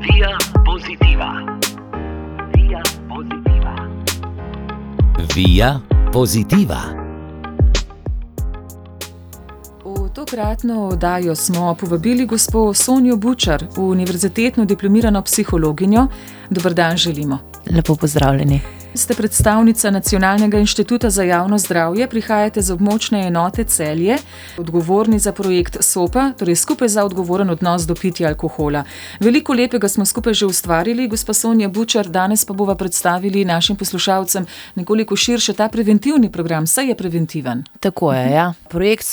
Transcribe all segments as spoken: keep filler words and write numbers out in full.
Via Positiva. Via Positiva. Via Positiva. V tokratno oddajo smo povabili gospo Sonjo Bučar, univerzitetno diplomirano psihologinjo. Dober dan želimo. Lepo pozdravljeni. Ste predstavnica Nacionalnega inštituta za javno zdravje, prihajate z območne enote Celje, odgovorni za projekt SOPA, torej skupaj za odgovoren odnos do pitja alkohola. Veliko lepega smo skupaj že ustvarili, gospa Sonja Bučar, danes pa bova predstavili našim poslušalcem nekoliko širše ta preventivni program, saj je preventiven. Tako je, ja. Projekt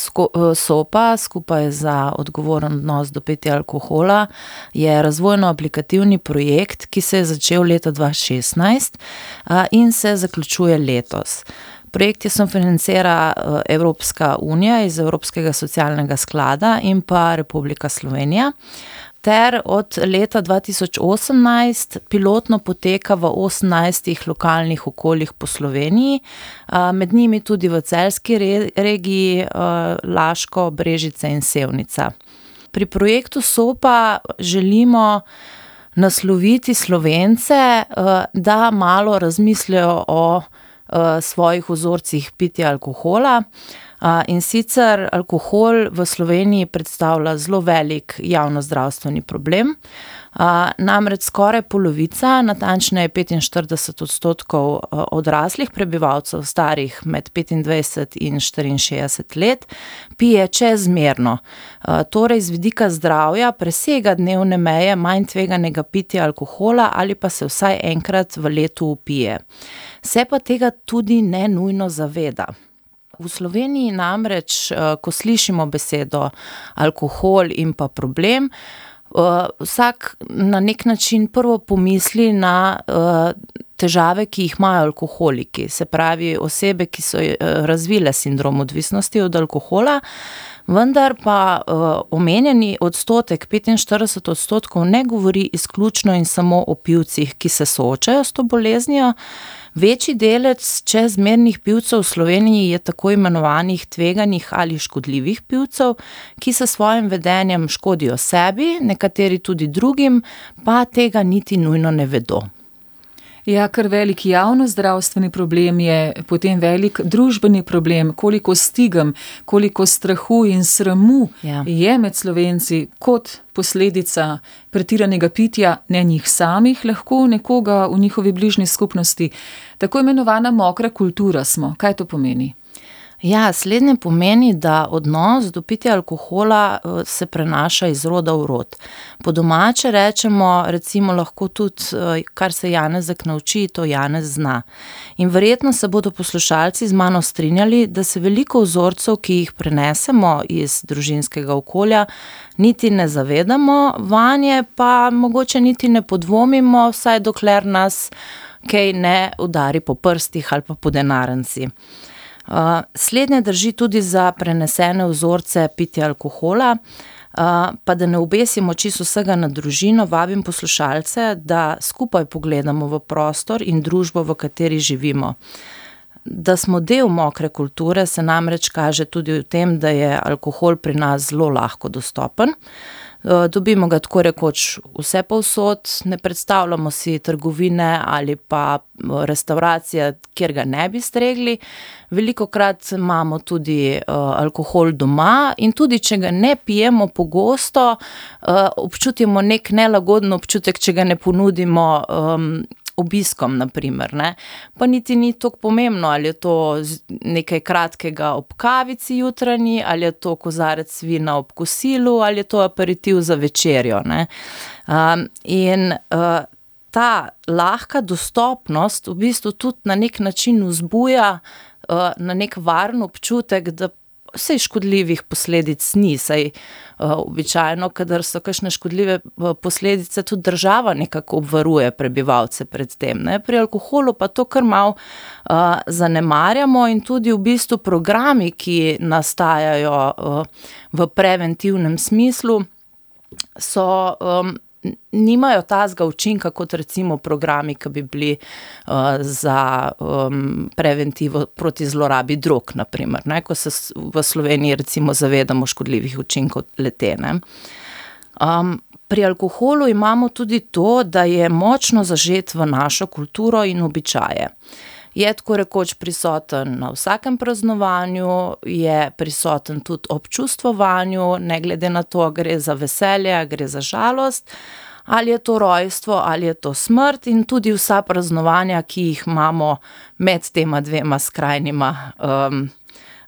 SOPA, skupaj za odgovoren odnos do pitja alkohola, je razvojno-aplikativni projekt, ki se je začel leta dva tisoč šestnajst in se zaključuje letos. Projekt je sofinancira Evropska unija iz Evropskega socialnega sklada in pa Republika Slovenija. Ter od leta dva tisoč osemnajst pilotno poteka v osemnajstih lokalnih okoljih po Sloveniji, med njimi tudi v celjski regiji, Laško, Brežice in Sevnica. Pri projektu SOPA želimo nasloviti Slovence, da malo razmislijo o svojih vzorcih pitja alkohola. In sicer alkohol v Sloveniji predstavlja zelo velik javnozdravstveni problem. Namreč skoraj polovica, natančneje petinštirideset odstotkov odraslih prebivalcev starih med petindvajset in štiriinšestdeset let pije čezmerno. Torej z vidika zdravja presega dnevne meje manj tveganega pitja alkohola ali pa se vsaj enkrat v letu upije. Se pa tega tudi ne nujno zaveda. V Sloveniji namreč, ko slišimo besedo alkohol in pa problem, vsak na nek način prvo pomisli na težave, ki jih imajo alkoholiki, se pravi osebe, ki so razvile sindrom odvisnosti od alkohola, vendar pa omenjeni odstotek, petinštirideset odstotkov, ne govori izključno in samo o pivcih, ki se soočajo s to boleznijo. Večji delež čezmernih pivcev v Sloveniji je tako imenovanih tveganih ali škodljivih pivcev, ki s svojim vedenjem škodijo sebi, nekateri tudi drugim, pa tega niti nujno ne vedo. Ja, kar velik javnozdravstveni problem je, potem velik družbeni problem, koliko stigem, koliko strahu in sramu ja. je med Slovenci kot posledica pretiranega pitja, ne njih samih, lahko nekoga v njihovi bližnji skupnosti. Tako imenovana mokra kultura smo. Kaj to pomeni? Ja, slednje pomeni, da odnos do pitja alkohola se prenaša iz roda v rod. Po domače rečemo, recimo lahko tudi, kar se Janezek nauči, to Janez zna. In verjetno se bodo poslušalci z mano strinjali, da se veliko vzorcev, ki jih prenesemo iz družinskega okolja, niti ne zavedamo, vanje pa mogoče niti ne podvomimo, vsaj dokler nas kaj ne udari po prstih ali pa po denarnici. Uh, slednje drži tudi za prenesene vzorce pitja alkohola, uh, pa da ne obesimo čisto vsega na družino, vabim poslušalce, da skupaj pogledamo v prostor in družbo, v kateri živimo. Da smo del mokre kulture, se namreč kaže tudi v tem, da je alkohol pri nas zelo lahko dostopen. Dobimo ga tako rekoč vse povsod, ne predstavljamo si trgovine ali pa restavracije, kjer ga ne bi stregli. Velikokrat imamo tudi uh, alkohol doma in tudi, če ga ne pijemo pogosto, uh, občutimo nek nelagoden občutek, če ga ne ponudimo um, obiskom, na primer, ne. Pa niti ni toliko pomembno, ali je to nekaj kratkega ob kavici jutranji, ali je to kozarec vina ob kosilu, ali je to aperitiv za večerjo, ne. Um, in uh, ta lahka dostopnost v bistvu tudi na nek način vzbuja uh, na nek varen občutek, da vsej škodljivih posledic ni, saj uh, običajno, kadar so kakšne škodljive posledice, tudi država nekako obvaruje prebivalce pred tem, ne. Pri alkoholu pa to kar malo uh, zanemarjamo in tudi v bistvu programi, ki nastajajo uh, v preventivnem smislu, so um, nimajo tazga učinka kot recimo programi, ki bi bili uh, za um, preventivo proti zlorabi drog, na primer, ne, ko se v Sloveniji recimo zavedamo škodljivih učinkov le-te, ne. Um, Pri alkoholu imamo tudi to, da je močno zažet v našo kulturo in običaje. Je tako rekoč prisoten na vsakem praznovanju, je prisoten tudi ob čustvovanju, ne glede na to, gre za veselje, gre za žalost, ali je to rojstvo, ali je to smrt in tudi vsa praznovanja, ki jih imamo med tema dvema skrajnima um,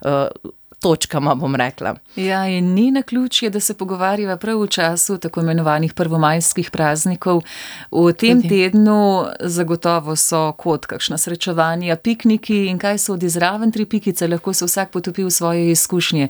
uh, točkama, bom rekla. Ja, in ni naključje, da se pogovarjava prav v času tako imenovanih prvomajskih praznikov. V tem Tudi. tednu zagotovo so kot kakšna srečevanja, pikniki in kaj so odizraven tri pikice, lahko se vsak potopi v svoje izkušnje.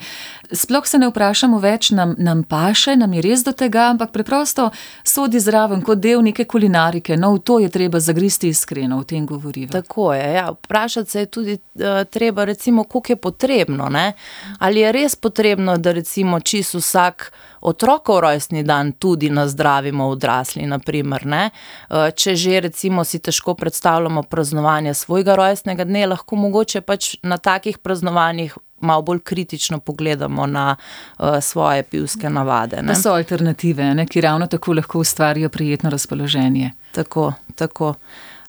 Sploh se ne vprašamo več, nam, nam paše, nam je res do tega, ampak preprosto so odizraven kot del neke kulinarike. No, v to je treba zagristi iskreno, v tem govoriva. Tako je, ja. Vprašati se je tudi uh, treba, recimo, koliko je potrebno, ne? Ali je res potrebno, da recimo čisto vsak otrokov rojstni dan tudi nazdravimo odrasli, na primer, ne? Če že recimo si težko predstavljamo praznovanje svojega rojstnega dne, lahko mogoče pač na takih praznovanjih malo bolj kritično pogledamo na uh, svoje pivske navade. Ne? To so alternative, ne? Ki ravno tako lahko ustvarijo prijetno razpoloženje. Tako, tako.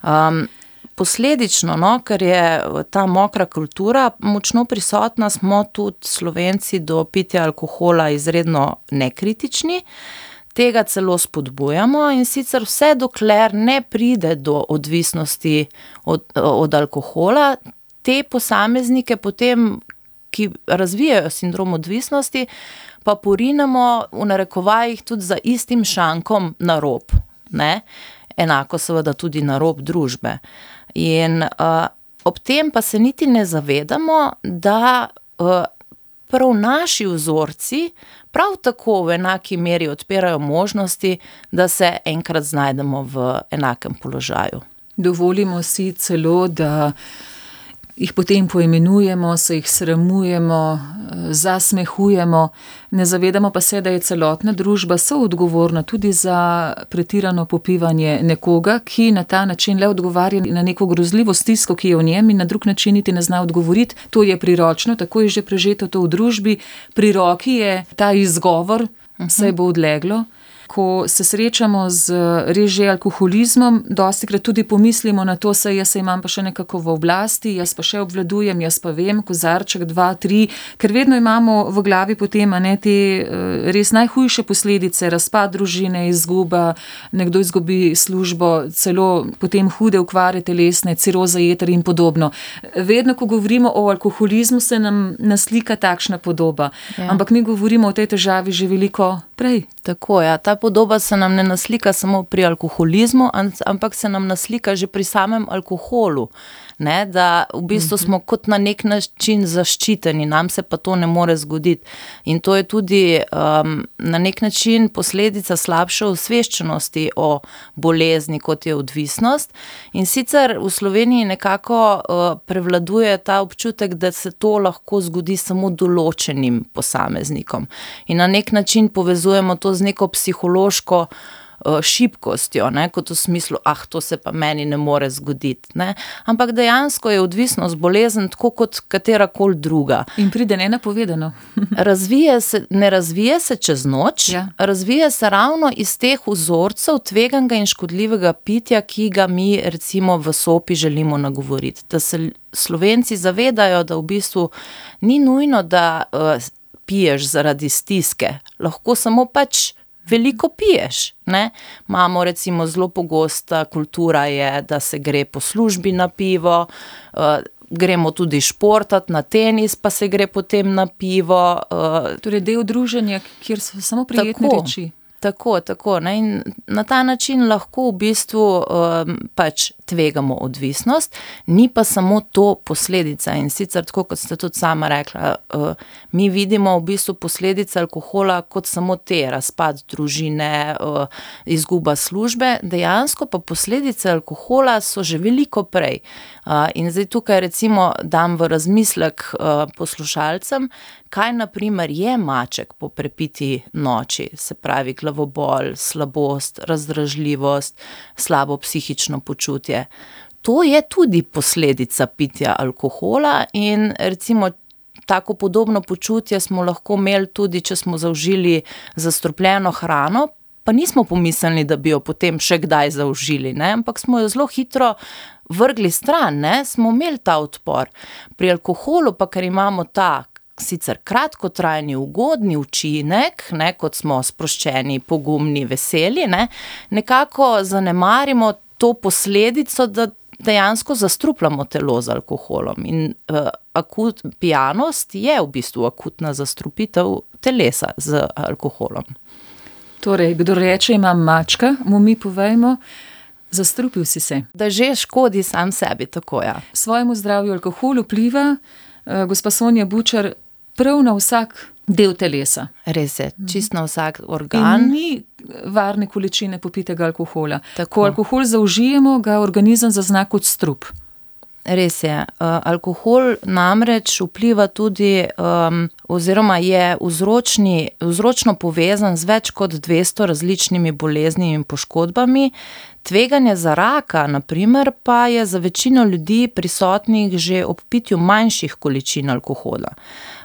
Um, Posledično, no, ker je ta mokra kultura močno prisotna, smo tudi Slovenci do pitja alkohola izredno nekritični, tega celo spodbujamo in sicer vse dokler ne pride do odvisnosti od, od alkohola, te posameznike potem, ki razvijajo sindrom odvisnosti, pa porinemo v narekovajih tudi za istim šankom na rob, ne? Enako seveda tudi na rob družbe. In uh, ob tem pa se niti ne zavedamo, da uh, prav naši vzorci prav tako v enaki meri odpirajo možnosti, da se enkrat znajdemo v enakem položaju. Dovolimo si celo, da jih potem poimenujemo, se jih sramujemo, zasmehujemo, ne zavedamo pa se, da je celotna družba soodgovorna tudi za pretirano popivanje nekoga, ki na ta način le odgovarja na neko grozljivo stisko, ki je v njem in na drug način niti ne zna odgovoriti. To je priročno, tako je že prežeto to v družbi. Pri roki je ta izgovor, saj bo odleglo. Ko se srečamo z res že alkoholizmom, dostikrat tudi pomislimo na to, saj jaz se imam pa še nekako v oblasti, jaz pa še obvladujem, jaz pa vem, kozarček, dva, tri, ker vedno imamo v glavi potem a ne, te res najhujše posledice, razpad družine, izguba, nekdo izgubi službo, celo potem hude okvare telesne, ciroza jeter in podobno. Vedno, ko govorimo o alkoholizmu, se nam naslika takšna podoba, ja. Ampak mi govorimo o tej težavi že veliko prej. Tako, ja, ta podoba se nam ne naslika samo pri alkoholizmu, ampak se nam naslika že pri samem alkoholu, ne, da v bistvu smo kot na nek način zaščiteni, nam se pa to ne more zgoditi. In to je tudi um, na nek način posledica slabše osveščenosti o bolezni, kot je odvisnost. In sicer v Sloveniji nekako uh, prevladuje ta občutek, da se to lahko zgodi samo določenim posameznikom. In na nek način povezujemo to z neko psihološko šibkostjo, ne, kot v smislu, ah, to se pa meni ne more zgoditi, ne. Ampak dejansko je odvisnost bolezen tako kot katerakoli druga. In pride nenapovedano. Razvije se, ne razvije se čez noč, ja. Razvije se ravno iz teh vzorcev tveganega in škodljivega pitja, ki ga mi recimo v Sopi želimo nagovoriti. Da se Slovenci zavedajo, da v bistvu ni nujno, da uh, piješ zaradi stiske, lahko samo pač veliko piješ, ne? Imamo recimo zelo pogosta kultura je, da se gre po službi na pivo, uh, gremo tudi športati na tenis, pa se gre potem na pivo. Uh, torej del druženja, kjer so samo prijetne tako, reči. Tako, tako, ne? In na ta način lahko v bistvu um, pač tvegamo odvisnost, ni pa samo to posledica. In sicer, tako kot ste tudi sama rekla, uh, mi vidimo v bistvu posledice alkohola kot samo te, razpad družine, uh, izguba službe, dejansko pa posledice alkohola so že veliko prej. Uh, in zdaj tukaj recimo dam v razmislek uh, poslušalcem, kaj na primer je maček po prepiti noči, se pravi glavobol, slabost, razdražljivost, slabo psihično počutje. To je tudi posledica pitja alkohola in recimo tako podobno počutje smo lahko imeli tudi, če smo zaužili zastrupljeno hrano pa nismo pomislili, da bi jo potem še kdaj zaužili, ne? Ampak smo jo zelo hitro vrgli stran, ne? Smo imeli ta odpor. Pri alkoholu pa, ker imamo ta sicer kratkotrajni, ugodni učinek, ne, kot smo sproščeni, pogumni, veseli, ne, nekako zanemarimo to posledico, da dejansko zastrupljamo telo z alkoholom. In uh, akut, pijanost je v bistvu akutna zastrupitev telesa z alkoholom. Torej, kdo reče, imam mačka, mu mi povejmo, zastrupil si se. Da že škodi sam sebi, tako ja. Svojemu zdravju alkohol vpliva, uh, gospa Sonja Bučar, prav na vsak del telesa. Res je, čist na vsak organ. In ni varne količine popitega alkohola. Tako. Ko alkohol zaužijemo, ga organizem zazna kot strup. Res je. Uh, alkohol namreč vpliva tudi, um, oziroma je vzročni, vzročno povezan z več kot dvesto različnimi boleznimi in poškodbami. Tveganje za raka, na primer, pa je za večino ljudi prisotnih že ob pitju manjših količin alkohola.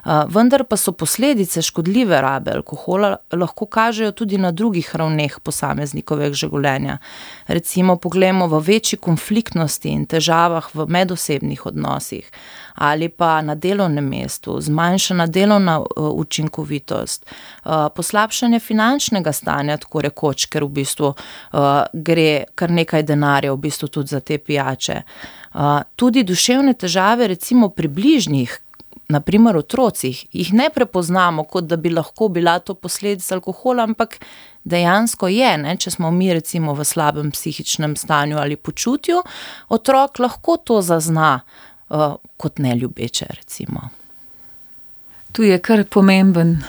Uh, vendar pa so posledice škodljive rabe alkohola lahko kažejo tudi na drugih ravneh posameznikovega življenja. Recimo poglejmo v večji konfliktnosti in težavah v medosebnih odnosih ali pa na delovnem mestu, zmanjšana delovna uh, učinkovitost, uh, poslabšanje finančnega stanja, tako rekoč, ker v bistvu uh, gre kar nekaj denarja v bistvu tudi za te pijače. Uh, tudi duševne težave recimo pri bližnjih, na primer otrocih, jih ne prepoznamo, kot da bi lahko bila to posledica alkohola, ampak dejansko je, ne? Če smo mi recimo v slabem psihičnem stanju ali počutju, otrok lahko to zazna uh, kot neljubeče recimo. Tu je kar pomemben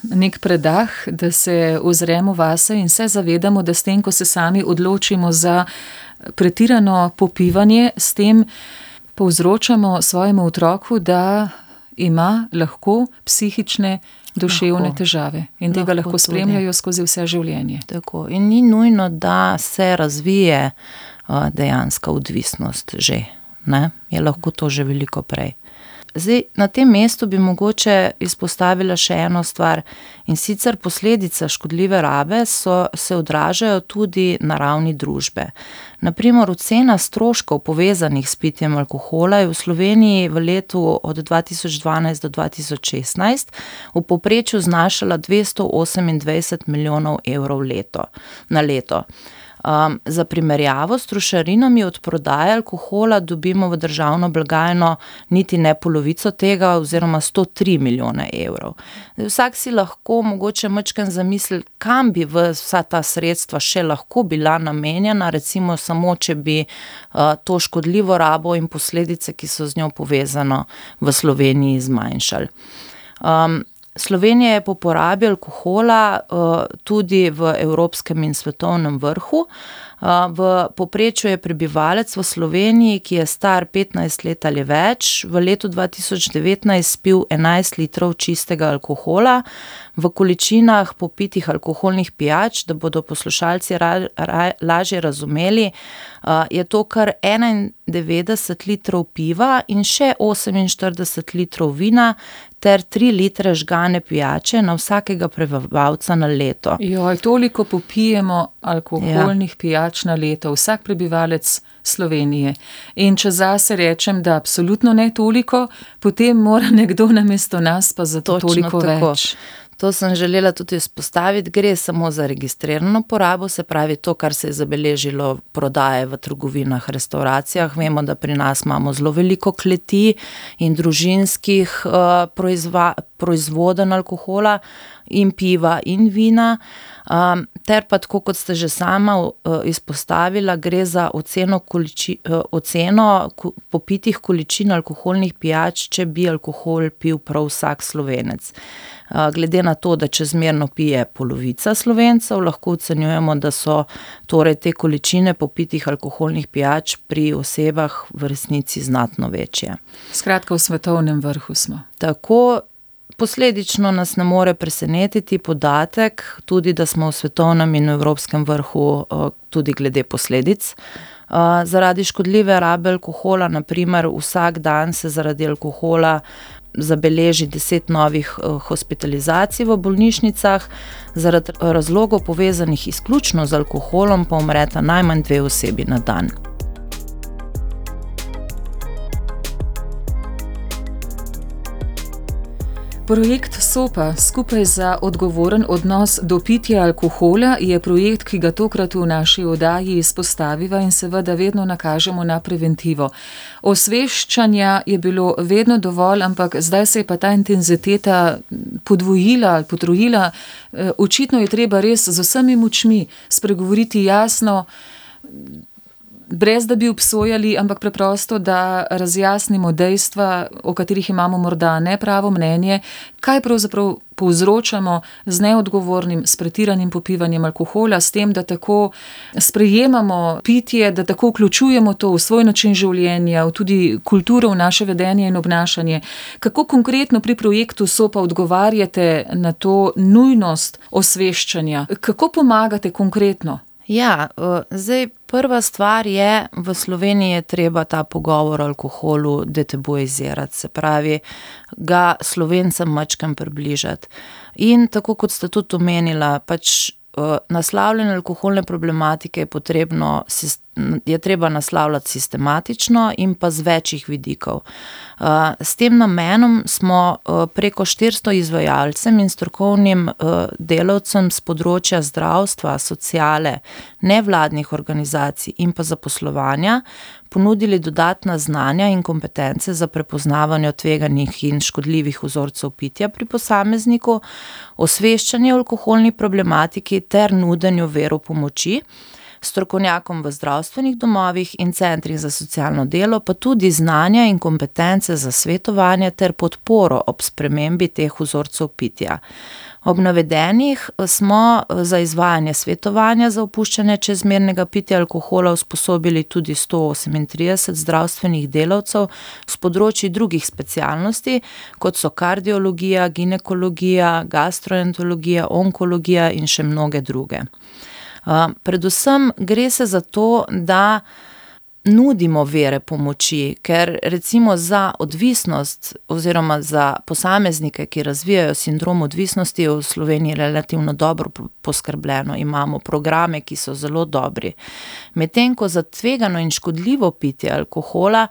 nek predah, da se ozremo vase in se zavedamo, da s tem, ko se sami odločimo za pretirano popivanje, s tem povzročamo svojemu otroku, da ima lahko psihične, duševne lahko. težave in tega lahko, lahko spremljajo skozi vse življenje. Tako. In ni nujno, da se razvije uh, dejanska odvisnost že, ne? Je lahko to že veliko prej. Zdaj, na tem mestu bi mogoče izpostavila še eno stvar, in sicer posledice škodljive rabe so, se odražajo tudi na ravni družbe. Na primer, ocena stroškov povezanih s pitjem alkohola je v Sloveniji v letu od dva tisoč dvanajst do dva tisoč šestnajst v povprečju znašala dvesto osemindvajset milijonov evrov leto, na leto. Um, za primerjavo s trošarinami od prodaje alkohola dobimo v državno blagajno niti ne polovico tega oziroma sto tri milijone evrov. Vsak si lahko mogoče majčkeno zamisli, kam bi vsa ta sredstva še lahko bila namenjena, recimo samo, če bi uh, to škodljivo rabo in posledice, ki so z njo povezano, v Sloveniji zmanjšali. Um, Slovenija je po porabi alkohola uh, tudi v evropskem in svetovnem vrhu. Uh, v povprečju je prebivalec v Sloveniji, ki je star petnajst let ali več, v letu dva tisoč devetnajst spil enajst litrov čistega alkohola. V količinah popitih alkoholnih pijač, da bodo poslušalci ra, ra, lažje razumeli, uh, je to kar enaindevetdeset litrov piva in še oseminštirideset litrov vina ter tri litre žgane pijače na vsakega prebivalca na leto. Joj, toliko popijemo alkoholnih ja. pijač na leto, vsak prebivalec Slovenije. In če zase rečem, da absolutno ne toliko, potem mora nekdo namesto nas pa za to Točno toliko tako. več. To sem želela tudi izpostaviti, gre samo za registrirano porabo, se pravi to, kar se je zabeležilo prodaje v trgovinah, restauracijah. Vemo, da pri nas imamo zelo veliko kleti in družinskih uh, proizva, proizvodenj alkohola in piva in vina. Um, ter pa tako, kot ste že sama uh, izpostavila, gre za oceno, količi, uh, oceno ko, popitih količin alkoholnih pijač, če bi alkohol pil prav vsak Slovenec. Uh, glede na to, da čezmerno pije polovica Slovencev, lahko ocenjujemo, da so torej te količine popitih alkoholnih pijač pri osebah v resnici znatno večje. Skratka, v svetovnem vrhu smo. Tako. Posledično nas ne more presenetiti podatek, tudi da smo v svetovnem in evropskem vrhu tudi glede posledic. Zaradi škodljive rabe alkohola, na primer, vsak dan se zaradi alkohola zabeleži deset novih hospitalizacij v bolnišnicah, zaradi razlogov povezanih izključno z alkoholom pa umreta najmanj dve osebi na dan. Projekt SOPA, skupaj za odgovoren odnos do pitja alkohola, je projekt, ki ga tokrat v naši oddaji izpostaviva in seveda vedno nakažemo na preventivo. Osveščanja je bilo vedno dovolj, ampak zdaj se je pa ta intenziteta podvojila ali potrojila. Očitno je treba res z vsemi močmi spregovoriti jasno, brez da bi obsojali, ampak preprosto, da razjasnimo dejstva, o katerih imamo morda nepravo mnenje, kaj pravzaprav povzročamo z neodgovornim, s pretiranim popivanjem alkohola, s tem, da tako sprejemamo pitje, da tako vključujemo to v svoj način življenja, v tudi kulturo, v naše vedenje in obnašanje. Kako konkretno pri projektu SOPA odgovarjate na to nujnost osveščanja? Kako pomagate konkretno? Ja, zdaj prva stvar je, v Sloveniji je treba ta pogovor o alkoholu detabuizirati, se pravi, ga Slovencem majčkeno približati. In tako kot ste tudi omenila, pač naslavljanje alkoholne problematike je potrebno, je treba naslavljati sistematično in pa z večjih vidikov. S tem namenom smo preko štiristo izvajalcem in strokovnim delavcem z področja zdravstva, sociale, nevladnih organizacij in pa zaposlovanja ponudili dodatna znanja in kompetence za prepoznavanje tveganih in škodljivih vzorcev pitja pri posamezniku, osveščanje o alkoholni problematiki ter nudenju veru pomoči, strokovnjakom v zdravstvenih domovih in centrih za socialno delo, pa tudi znanja in kompetence za svetovanje ter podporo ob spremembi teh vzorcev pitja. Ob navedenih smo za izvajanje svetovanja za opuščanje čezmernega pitja alkohola usposobili tudi sto osemintrideset zdravstvenih delavcev s področji drugih specialnosti, kot so kardiologija, ginekologija, gastroenterologija, onkologija in še mnoge druge. Predvsem gre se za to, da nudimo vere pomoči, ker recimo za odvisnost oziroma za posameznike, ki razvijajo sindrom odvisnosti, je v Sloveniji relativno dobro poskrbljeno. Imamo programe, ki so zelo dobri. Medtem ko za tvegano in škodljivo pitje alkohola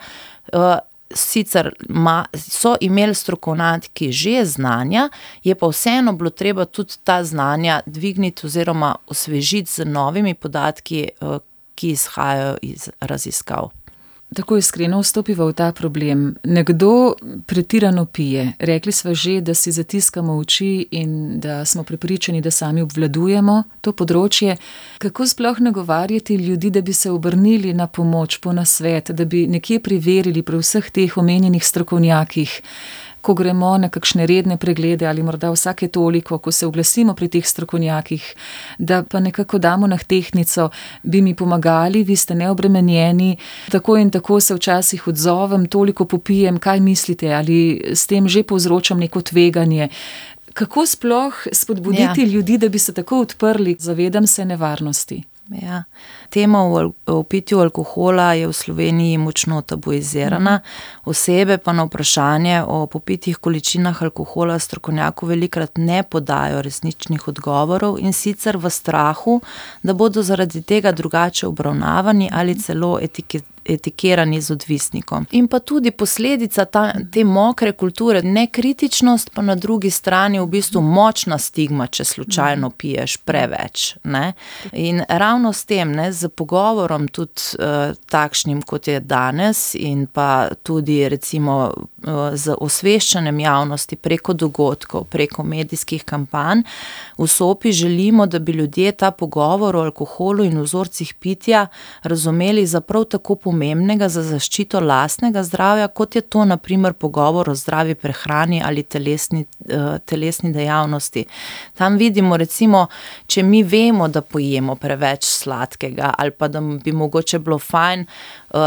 sicer ma, so imeli strokovnjaki že znanja, je pa vseeno bilo treba tudi ta znanja dvigniti oziroma osvežiti z novimi podatki, ki izhajajo iz raziskav. Tako iskreno vstopiva v ta problem. Nekdo pretirano pije. Rekli sva že, da si zatiskamo oči in da smo prepričani, da sami obvladujemo to področje. Kako sploh nagovarjati ljudi, da bi se obrnili na pomoč, po nasvet, da bi nekje preverili pri vseh teh omenjenih strokovnjakih, ko gremo na kakšne redne preglede ali morda vsake toliko, ko se oglasimo pri teh strokovnjakih, da pa nekako damo na tehtnico, bi mi pomagali, vi ste neobremenjeni, tako in tako se včasih odzovem, toliko popijem, kaj mislite, ali s tem že povzročam neko tveganje. Kako sploh spodbuditi ja. ljudi, da bi se tako odprli? Zavedam se nevarnosti. Ja. Tema o, o pitju alkohola je v Sloveniji močno tabuizirana. Osebe pa na vprašanje o popitih količinah alkohola strokovnjaku velikrat ne podajo resničnih odgovorov in sicer v strahu, da bodo zaradi tega drugače obravnavani ali celo etiketirani etikirani z odvisnikom. In pa tudi posledica ta, te mokre kulture, nekritičnost, pa na drugi strani v bistvu močna stigma, če slučajno piješ preveč. Ne? In ravno s tem, ne, z pogovorom tudi uh, takšnim, kot je danes, in pa tudi recimo uh, z osveščanjem javnosti preko dogodkov, preko medijskih kampanj, v SOPI želimo, da bi ljudje ta pogovor o alkoholu in vzorcih pitja razumeli za prav tako pomembnega za zaščito lastnega zdravja, kot je to na primer pogovor o zdravi prehrani ali telesni, uh, telesni dejavnosti. Tam vidimo recimo, če mi vemo, da pojemo preveč sladkega ali pa da bi mogoče bilo fajn uh,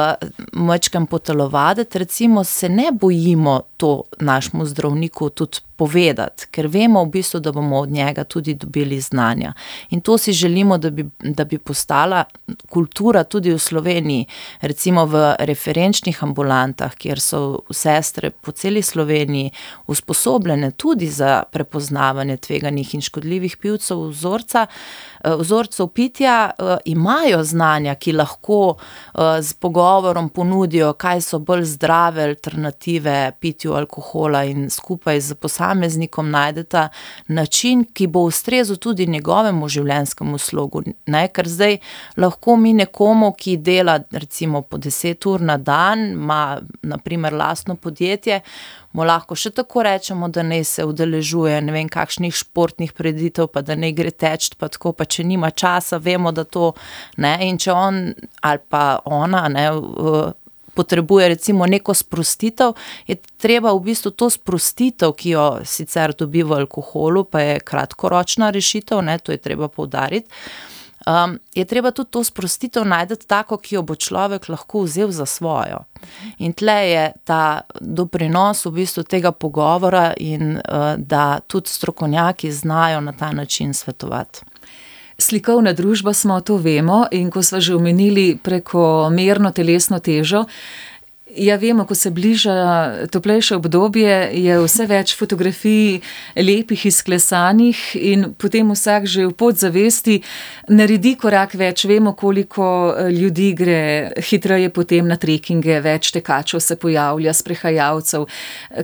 majčkeno potelovaditi, recimo se ne bojimo to našemu zdravniku tudi povedati, ker vemo v bistvu, da bomo od njega tudi dobili znanja. In to si želimo, da bi, da bi postala kultura tudi v Sloveniji, recimo v referenčnih ambulantah, kjer so sestre po celi Sloveniji usposobljene tudi za prepoznavanje tveganih in škodljivih pivcev vzorca, vzorcev pitja, imajo znanja, ki lahko z pogovorom ponudijo, kaj so bolj zdrave alternative pitju alkohola in skupaj z posameznikom najdeta način, ki bo ustrezal tudi njegovemu življenjskemu slogu. Ne, ker zdaj lahko mi nekomu, ki dela recimo po deset ur na dan, ima na primer lastno podjetje, mu lahko še tako rečemo, da naj se udeležuje ne vem kakšnih športnih prireditev, pa da naj gre teč, pa tako, pa če nima časa, vemo, da to, ne, in če on ali pa ona, ne, potrebuje recimo neko sprostitev, je treba v bistvu to sprostitev, ki jo sicer dobi v alkoholu, pa je kratkoročna rešitev, ne, to je treba poudariti, Um, je treba tudi to sprostitev najdeti tako, ki jo bo človek lahko vzel za svojo. In tle je ta doprinos v bistvu tega pogovora in uh, da tudi strokovnjaki znajo na ta način svetovati. Slikovna družba smo, to vemo, in ko smo že omenili prekomerno telesno težo, ja, vemo, ko se bliža toplejše obdobje, je vse več fotografij lepih, izklesanih in potem vsak že v podzavesti naredi korak več. Vemo, koliko ljudi gre hitreje potem na trekinge, več tekačev se pojavlja, sprehajalcev.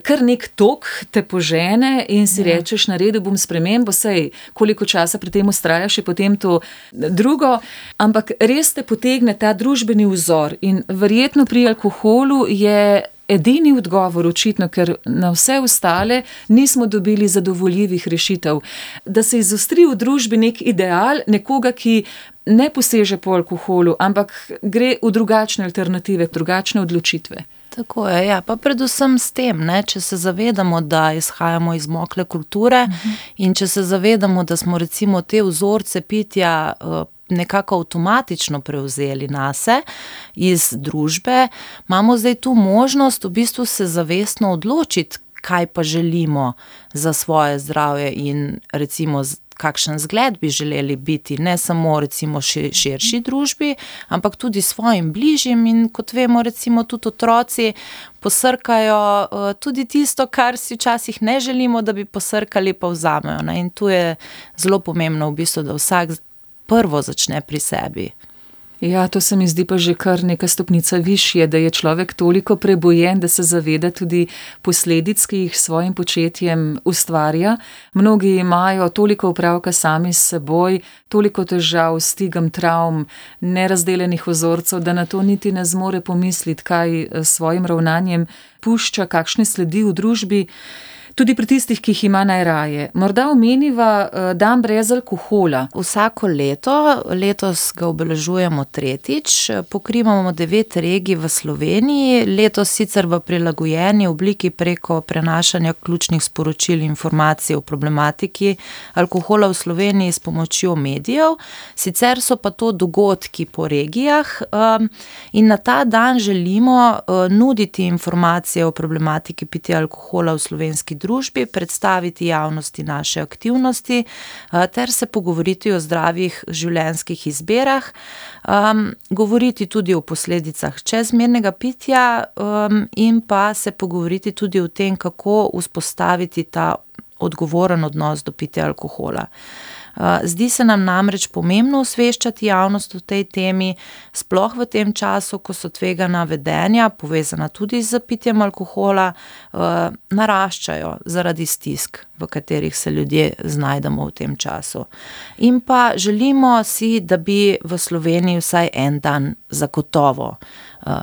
Kar nek tok te požene in si ja. rečeš, naredil bom spremembo, sej koliko časa pri tem vztrajaš, je potem to drugo, ampak res te potegne ta družbeni vzor in verjetno pri alkoholu je edini odgovor očitno, ker na vse ostale nismo dobili zadovoljivih rešitev, da se izostri v družbi nek ideal nekoga, ki ne poseže po alkoholu, ampak gre v drugačne alternative, drugačne odločitve. Tako je, ja, pa predvsem s tem, ne, če se zavedamo, da izhajamo iz mokle kulture uh-huh. in če se zavedamo, da smo recimo te vzorce pitja uh, nekako avtomatično prevzeli nase iz družbe, imamo zdaj tu možnost v bistvu se zavestno odločiti, kaj pa želimo za svoje zdravje in recimo kakšen zgled bi želeli biti, ne samo recimo širši družbi, ampak tudi svojim bližjim in kot vemo recimo tudi otroci posrkajo uh, tudi tisto, kar si včasih ne želimo, da bi posrkali, pa vzamejo. Ne? In tu je zelo pomembno v bistvu, da vsak prvo začne pri sebi. Ja, to se mi zdi pa že kar neka stopnica višje, da je človek toliko prebojen, da se zaveda tudi posledic, ki jih s svojim početjem ustvarja. Mnogi imajo toliko opravka sami s seboj, toliko težav, stigam, travm, nerazdeljenih vzorcev, da na to niti ne zmore pomisliti, kaj s svojim ravnanjem pušča, kakšne sledi v družbi. Tudi pri tistih, ki jih ima najraje. Morda omeniva dan brez alkohola. Vsako leto, letos ga obeležujemo tretjič, pokrivamo devet regij v Sloveniji, letos sicer v prilagojeni obliki preko prenašanja ključnih sporočil in informacij o problematiki alkohola v Sloveniji s pomočjo medijev, sicer so pa to dogodki po regijah um, in na ta dan želimo uh, nuditi informacije o problematiki pitja alkohola v slovenski družbi, družbi, predstaviti javnosti naše aktivnosti ter se pogovoriti o zdravih življenjskih izberah, um, govoriti tudi o posledicah čezmernega pitja um, in pa se pogovoriti tudi o tem, kako vzpostaviti ta odgovoren odnos do pitja alkohola. Zdi se nam namreč pomembno osveščati javnost o tej temi, sploh v tem času, ko so tvegana vedenja, povezana tudi z pitjem alkohola, naraščajo zaradi stisk, v katerih se ljudje znajdemo v tem času. In pa želimo si, da bi v Sloveniji vsaj en dan zagotovo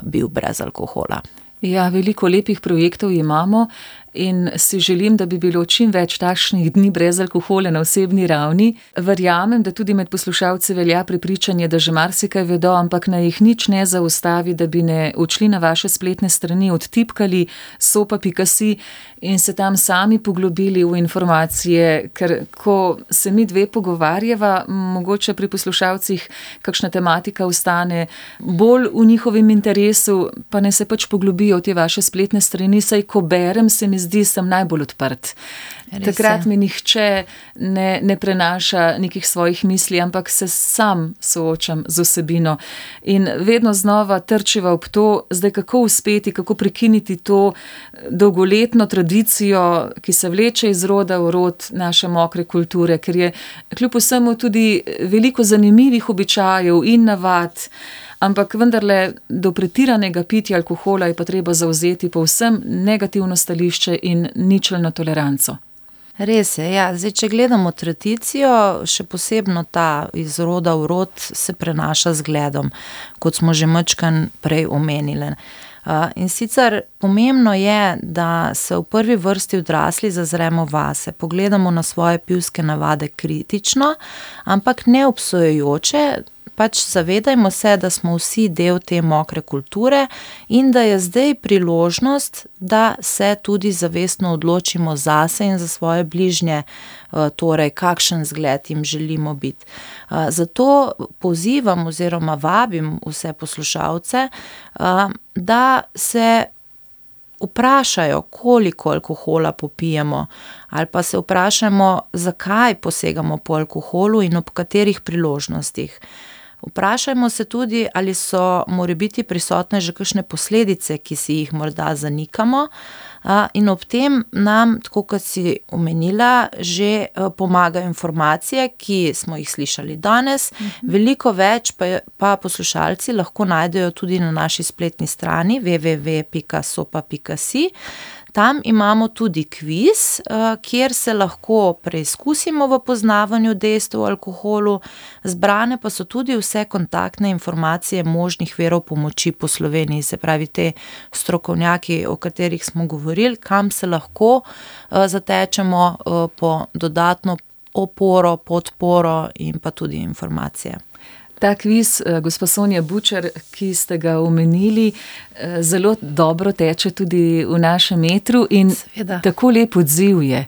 bil brez alkohola. Ja, veliko lepih projektov imamo in si želim, da bi bilo čim več takšnih dni brez alkohola na osebni ravni. Verjamem, da tudi med poslušalci velja prepričanje, da že marsikaj vedo, ampak naj jih nič ne zaustavi, da bi ne odšli na vaše spletne strani, odtipkali sopa pika si in se tam sami poglobili v informacije, ker ko se mi dve pogovarjava, mogoče pri poslušalcih kakšna tematika ostane bolj v njihovem interesu, pa ne se pač poglobijo v te vaše spletne strani, saj ko berem, se mi zdi, sem najbolj odprt. Res Takrat je. mi nihče ne, ne prenaša nekih svojih misli, ampak se sam soočam z vsebino. In vedno znova trčiva ob to, zdaj kako uspeti, kako prekiniti to dolgoletno tradicijo, ki se vleče iz roda v rod naše mokre kulture, ker je kljub vsemu tudi veliko zanimivih običajev in navad, ampak vendarle do pretiranega pitja alkohola je pa treba zavzeti povsem negativno stališče in ničelno toleranco. Res je, ja. Zdaj, če gledamo tradicijo, še posebno ta iz roda v rod se prenaša z gledom, kot smo že majčkeno prej omenili. Uh, in sicer pomembno je, da se v prvi vrsti odrasli zazremo vase, pogledamo na svoje pivske navade kritično, ampak ne obsojajoče, pač zavedajmo se, da smo vsi del te mokre kulture in da je zdaj priložnost, da se tudi zavestno odločimo zase in za svoje bližnje, torej kakšen zgled jim želimo biti. Zato pozivam oziroma vabim vse poslušalce, da se vprašajo, koliko alkohola popijemo, ali pa se vprašamo, zakaj posegamo po alkoholu in ob katerih priložnostih. Vprašajmo se tudi, ali so morebiti prisotne že kakšne posledice, ki si jih morda zanikamo, in ob tem nam, tako kot si omenila, že pomagajo informacije, ki smo jih slišali danes. Mhm. Veliko več pa, pa poslušalci lahko najdejo tudi na naši spletni strani w w w pika sopa pika si. Tam imamo tudi kviz, kjer se lahko preizkusimo v poznavanju dejstev o alkoholu, zbrane pa so tudi vse kontaktne informacije možnih virov pomoči po Sloveniji, se pravi te strokovnjaki, o katerih smo govorili, kam se lahko zatečemo po dodatno oporo, podporo in pa tudi informacije. Ta kviz, gospa Sonja Bučar, ki ste ga omenili, zelo dobro teče tudi v našem etru in Seveda. Tako lep odziv je.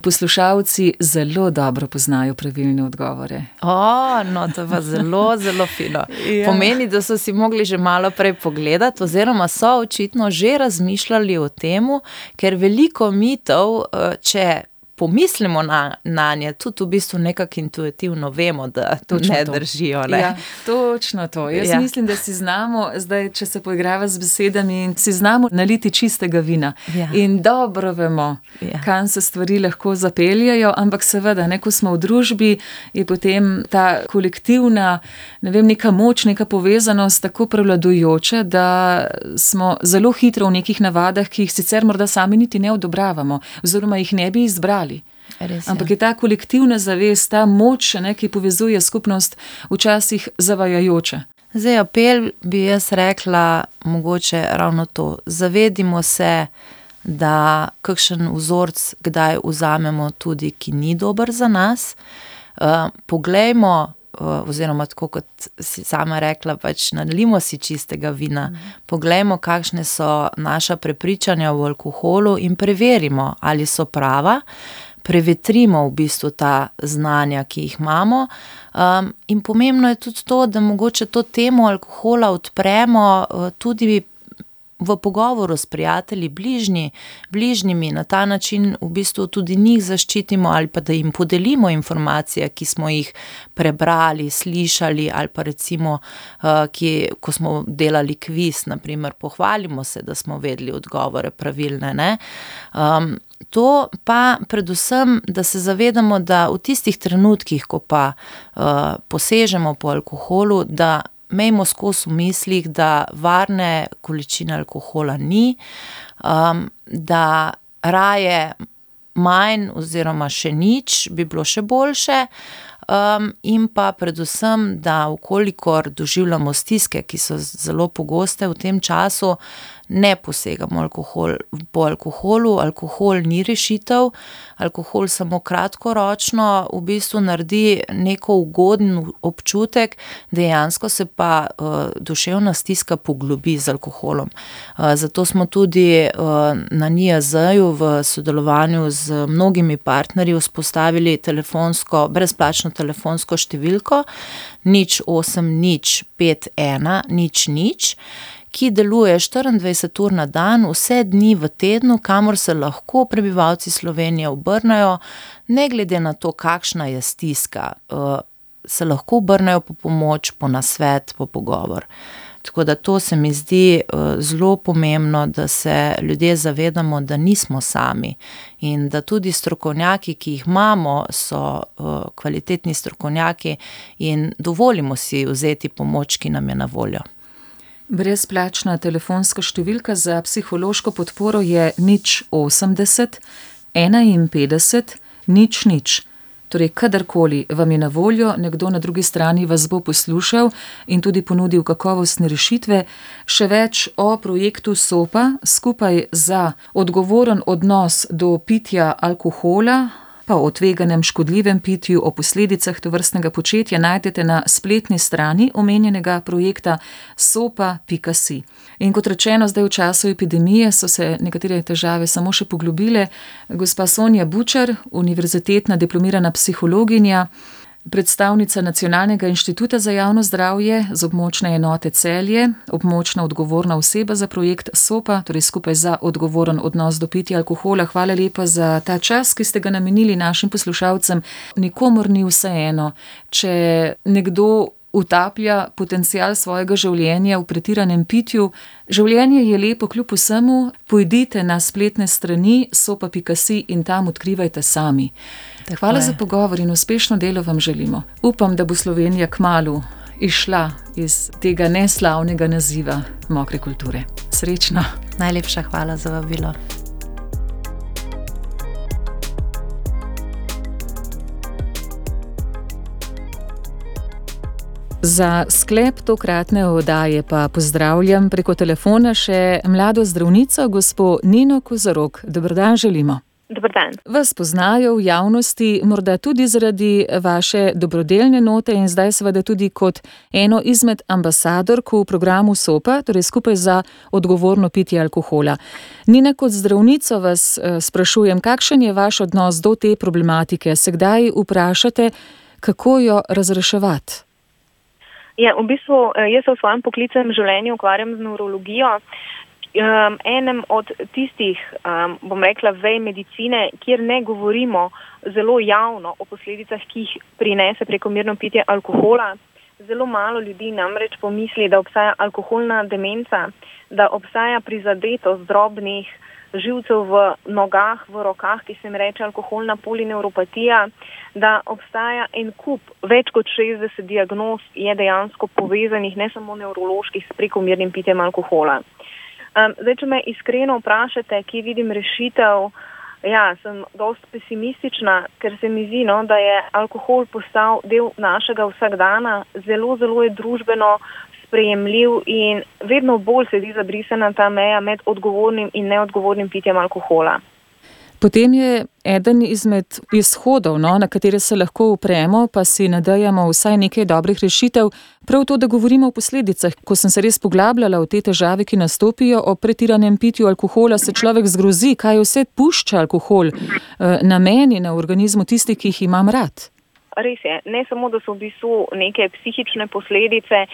Poslušalci zelo dobro poznajo pravilne odgovore. O, no, to pa zelo, zelo fino. Ja. Pomeni, da so si mogli že malo prej pogledati, oziroma so očitno že razmišljali o temu, ker veliko mitov, če pomislimo na, na nje, tudi v bistvu nekako intuitivno vemo, da Točno ne to. držijo. Ne? Ja, točno to. Jaz Ja. mislim, da si znamo, zdaj, če se poigrava z besedami, in si znamo naliti čistega vina. Ja. In dobro vemo, Ja. kam se stvari lahko zapeljajo, ampak seveda, ne, ko smo v družbi, je potem ta kolektivna, ne vem, neka moč, neka povezanost tako prevladujoča, da smo zelo hitro v nekih navadah, ki jih sicer morda sami niti ne odobravamo, oziroma jih ne bi izbrali. Res je. Ampak je ta kolektivna zavest, ta moč, ne, ki povezuje skupnost, včasih zavajajoča. Zdaj, apel bi jaz rekla mogoče ravno to. Zavedimo se, da kakšen vzorc kdaj vzamemo tudi, ki ni dober za nas. Uh, poglejmo, uh, oziroma tako kot si sama rekla, pač nalimo si čistega vina. Mm. Poglejmo, kakšne so naša prepričanja o alkoholu in preverimo, ali so prava. Prevetrimo v bistvu ta znanja, ki jih imamo. Um, in pomembno je tudi to, da mogoče to temo alkohola odpremo uh, tudi v pogovoru s prijatelji, bližnji, bližnjimi, na ta način v bistvu tudi njih zaščitimo ali pa da jim podelimo informacije, ki smo jih prebrali, slišali ali pa recimo, ki, ko smo delali kviz, na primer, pohvalimo se, da smo vedeli odgovore pravilne, ne. Um, To pa predvsem, da se zavedamo, da v tistih trenutkih, ko pa uh, posežemo po alkoholu, da imejmo skozi v mislih, da varne količine alkohola ni, um, da raje manj oziroma še nič bi bilo še boljše, um, in pa predvsem, da vkolikor doživljamo stiske, ki so zelo pogoste v tem času, ne posegamo alkohol, po alkoholu, alkohol ni rešitev, alkohol samo kratkoročno v bistvu naredi neko ugoden občutek, dejansko se pa uh, duševna stiska poglobi z alkoholom. Uh, zato smo tudi uh, na N I A Z-ju v sodelovanju z mnogimi partnerji vzpostavili telefonsko, brezplačno telefonsko številko nič osem nič pet ena nič nič, ki deluje štiriindvajset ur na dan, vse dni v tednu, kamor se lahko prebivalci Slovenije obrnejo, ne glede na to, kakšna je stiska, se lahko obrnejo po pomoč, po nasvet, po pogovor. Tako da to se mi zdi zelo pomembno, da se ljudje zavedamo, da nismo sami in da tudi strokovnjaki, ki jih imamo, so kvalitetni strokovnjaki in dovolimo si vzeti pomoč, ki nam je na voljo. Brezplačna telefonska številka za psihološko podporo je nič osemdeset enainpetdeset nič nič. Torej, kadarkoli vam je na voljo, nekdo na drugi strani vas bo poslušal in tudi ponudil kakovostne rešitve. Še več o projektu SOPA, skupaj za odgovoren odnos do pitja alkohola, pa o tveganem škodljivem pitju, o posledicah tovrstnega početja najdete na spletni strani omenjenega projekta sopa pika si. In kot rečeno, zdaj v času epidemije so se nekatere težave samo še poglobile. Gospa Sonja Bučar, univerzitetna diplomirana psihologinja, predstavnica Nacionalnega inštituta za javno zdravje z območne enote Celje, območna odgovorna oseba za projekt SOPA, torej skupaj za odgovoren odnos do pitja alkohola. Hvala lepa za ta čas, ki ste ga namenili našim poslušalcem. Nikomur ni vseeno, če nekdo utaplja potencial svojega življenja v pretiranem pitju. Življenje je lepo kljub vsemu. Pojdite na spletne strani sopa pika si in tam odkrivajte sami. Tako Hvala je. Za pogovor in uspešno delo vam želimo. Upam, da bo Slovenija kmalu izšla iz tega neslavnega naziva mokre kulture. Srečno. Najlepša hvala za vabilo. Za sklep tokratne oddaje pa pozdravljam preko telefona še mlado zdravnico, gospo Nino Kozorog. Dober dan želimo. Dober dan. Vas poznajo v javnosti, morda tudi zaradi vaše dobrodelne note in zdaj seveda tudi kot eno izmed ambasadork v programu SOPA, torej skupaj za odgovorno pitje alkohola. Nina, kot zdravnico vas sprašujem, kakšen je vaš odnos do te problematike? Se kdaj vprašate, kako jo razreševati? Ja, v bistvu jaz se v svojem poklicnem življenju ukvarjam z nevrologijo. Um, enem od tistih, um, bom rekla, vej medicine, kjer ne govorimo zelo javno o posledicah, ki jih prinese prekomerno pitje alkohola. Zelo malo ljudi namreč pomisli, da obstaja alkoholna demenca, da obstaja prizadetost drobnih živcev v nogah, v rokah, ki se jim reče alkoholna polineuropatija, da obstaja en kup, več kot šestdeset diagnoz je dejansko povezanih, ne samo nevroloških, s prekomernim pitjem alkohola. Um, zdaj, če me iskreno vprašate, kje vidim rešitev, ja, sem dosti pesimistična, ker se mi zdi, no, da je alkohol postal del našega vsakdana, zelo, zelo je družbeno sprejemljiv in vedno bolj se zdi zabrisana ta meja med odgovornim in neodgovornim pitjem alkohola. Potem je eden izmed izhodov, no, na katere se lahko upremo, pa si nadejamo vsaj nekaj dobrih rešitev, prav to, da govorimo o posledicah. Ko sem se res poglabljala v te težave, ki nastopijo ob pretiranem pitju alkohola, se človek zgrozi, kaj vse pušča alkohol na meni, na organizmu tistih, ki jih imam rad. Res je, ne samo, da so v bistvu neke psihične posledice,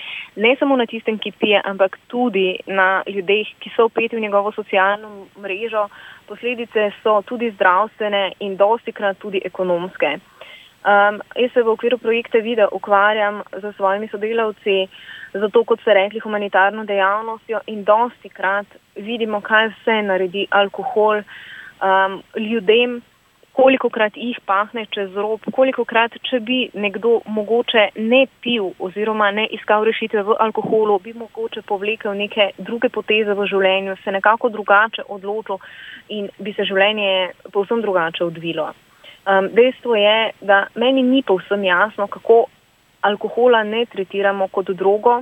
ne samo na tistem, ki pije, ampak tudi na ljudeh, ki so vpeti v njegovo socialno mrežo. Posledice so tudi zdravstvene in dostikrat tudi ekonomske. Um, jaz se v okviru projekta Vida ukvarjam z svojimi sodelavci, zato kot ste rekli, humanitarno dejavnostjo in dostikrat vidimo, kaj vse naredi alkohol um, ljudem, kolikokrat jih pahne čez rob, kolikokrat, če bi nekdo mogoče ne pil oziroma ne iskal rešitve v alkoholu, bi mogoče povlekel neke druge poteze v življenju, se nekako drugače odločil in bi se življenje povsem drugače odvilo. Um, dejstvo je, da meni ni povsem jasno, kako alkohola ne tretiramo kot drogo,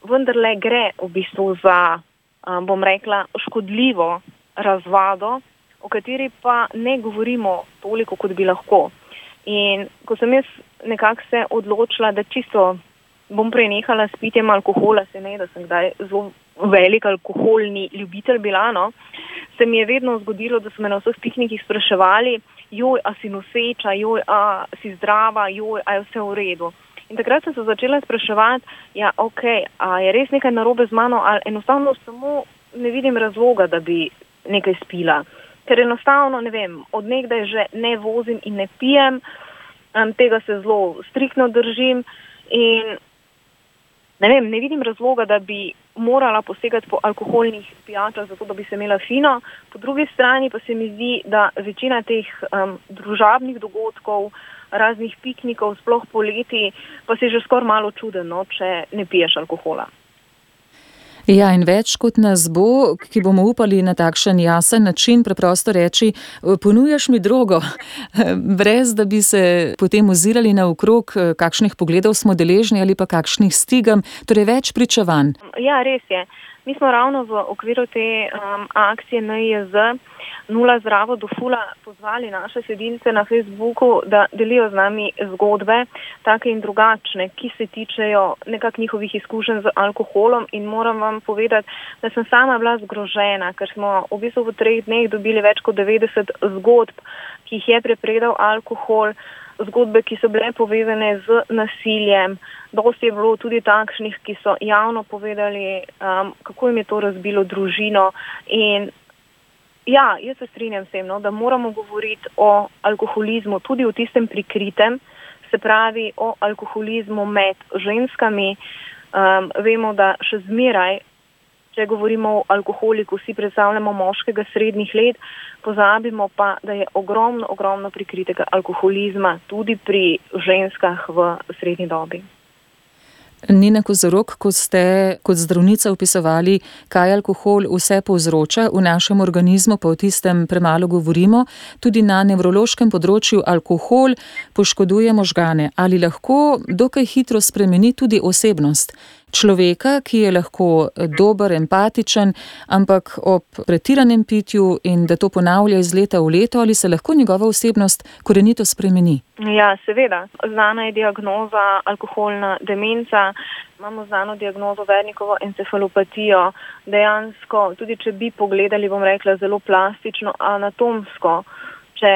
vendarle gre v bistvu za, um, bom rekla, škodljivo razvado, o kateri pa ne govorimo toliko, kot bi lahko. In ko sem jaz nekako se odločila, da čisto bom prenehala s pitjem alkohola, se ne, da sem kdaj zelo velik alkoholni ljubitelj bila, no, se mi je vedno zgodilo, da so me na vseh piknikih spraševali, joj, a si noseča, joj, a si zdrava, joj, a je vse v redu. In takrat sem se začela spraševati, ja, ok, a je res nekaj narobe z mano, ali enostavno samo ne vidim razloga, da bi nekaj spila. Ker enostavno, ne vem, od nekdaj že ne vozim in ne pijem, um, tega se zelo striktno držim in ne vem, ne vidim razloga, da bi morala posegati po alkoholnih pijačah, zato da bi se imela fino. Po drugi strani pa se mi zdi, da večina teh um, družabnih dogodkov, raznih piknikov, sploh poleti, pa si že skoraj malo čuden, no, če ne piješ alkohola. Ja, in več kot nas bo, ki bomo upali na takšen jasen način preprosto reči, ponujaš mi drogo, brez da bi se potem ozirali naokrog, kakšnih pogledov smo deležni ali pa kakšnih stigam, torej več pričevanj. Ja, res je. Mi smo ravno v okviru te um, akcije N I J Z Nula zdravo do fula pozvali naše sledilce na Facebooku, da delijo z nami zgodbe, take in drugačne, ki se tičejo nekak njihovih izkušenj z alkoholom in moram vam povedati, da sem sama bila zgrožena, ker smo v bistvu v treh dneh dobili več kot devetdeset zgodb, ki jih je prepredal alkohol, zgodbe, ki so bile povezane z nasiljem. Dosti je bilo tudi takšnih, ki so javno povedali, um, kako jim je to razbilo družino. In ja, jaz se strinjam s tem, no, da moramo govoriti o alkoholizmu, tudi o tistem prikritem, se pravi o alkoholizmu med ženskami. Um, vemo, da še zmeraj, če govorimo o alkoholiku, vsi predstavljamo moškega srednjih let, pozabimo pa, da je ogromno, ogromno prikritega alkoholizma tudi pri ženskah v srednji dobi. Nina Kozorog, ko ste kot zdravnica opisovali, kaj alkohol vse povzroča v našem organizmu, pa o tistem premalo govorimo, tudi na nevrološkem področju alkohol poškoduje možgane. Ali lahko dokaj hitro spremeni tudi osebnost človeka, ki je lahko dober, empatičen, ampak ob pretiranem pitju in da to ponavlja iz leta v leto, ali se lahko njegova osebnost korenito spremeni? Ja, seveda. Znana je diagnoza alkoholna demenca, imamo znano diagnozo Wernikovo encefalopatijo. Dejansko, tudi če bi pogledali, bom rekla, zelo plastično, anatomsko, če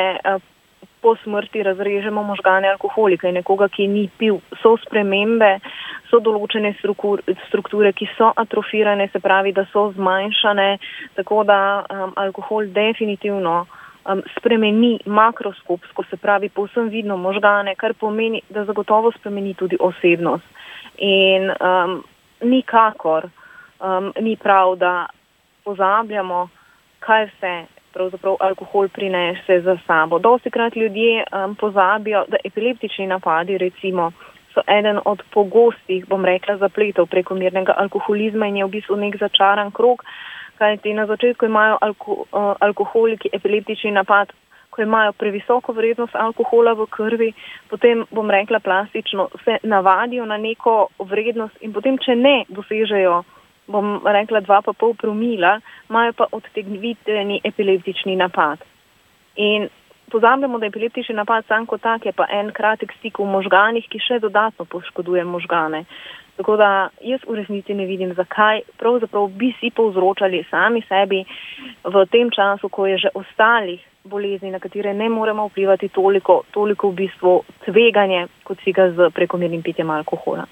po smrti razrežemo možgane alkoholika in nekoga, ki ni pil, so spremembe, so določene strukture, ki so atrofirane, se pravi, da so zmanjšane, tako da um, alkohol definitivno um, spremeni makroskopsko, se pravi, povsem vidno možgane, kar pomeni, da zagotovo spremeni tudi osebnost. In um, nikakor um, ni prav, da pozabljamo, kaj vse pravzaprav alkohol prinese za sabo. Dostikrat ljudje um, pozabijo, da epileptični napadi, recimo, so eden od pogostih, bom rekla, zapletov prekomernega alkoholizma in je v bistvu nek začaran krog, kajti na začetku imajo alko, uh, alkoholiki epileptični napad, ko imajo previsoko vrednost alkohola v krvi, potem, bom rekla plastično, se navadijo na neko vrednost in potem, če ne dosežejo, bom rekla dva pa pol promila, imajo pa odtegnvitveni epileptični napad. In pozabljamo, da epileptični napad sam kot tak je pa en kratek stik v možganih, ki še dodatno poškoduje možgane. Tako da jaz v resnici ne vidim, zakaj pravzaprav bi si povzročali sami sebi v tem času, ko je že ostalih bolezni, na katere ne moremo vplivati toliko, toliko v bistvu tveganje, kot si ga z prekomernim pitjem alkohola.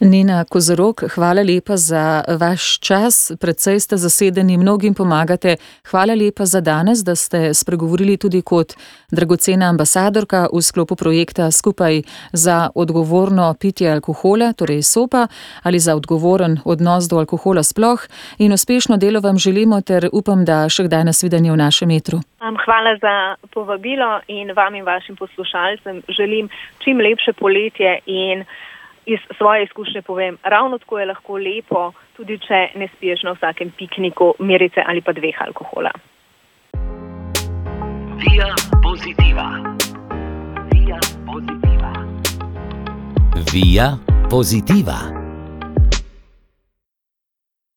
Nina Kozorog, hvala lepa za vaš čas, predvsej ste zasedeni, mnogim pomagate. Hvala lepa za danes, da ste spregovorili tudi kot dragocena ambasadorka v sklopu projekta Skupaj za odgovorno pitje alkohola, torej SOPA, ali za odgovoren odnos do alkohola sploh. In uspešno delo vam želimo ter upam, da še kdaj nasvidenje v našem etru. Hvala za povabilo in vam in vašim poslušalcem želim čim lepše poletje in iz svoje izkušnje povem, ravno tako je lahko lepo, tudi če ne spiješ na vsakem pikniku mirice ali pa dveh alkohola. Via Positiva. Via Positiva. Via Positiva.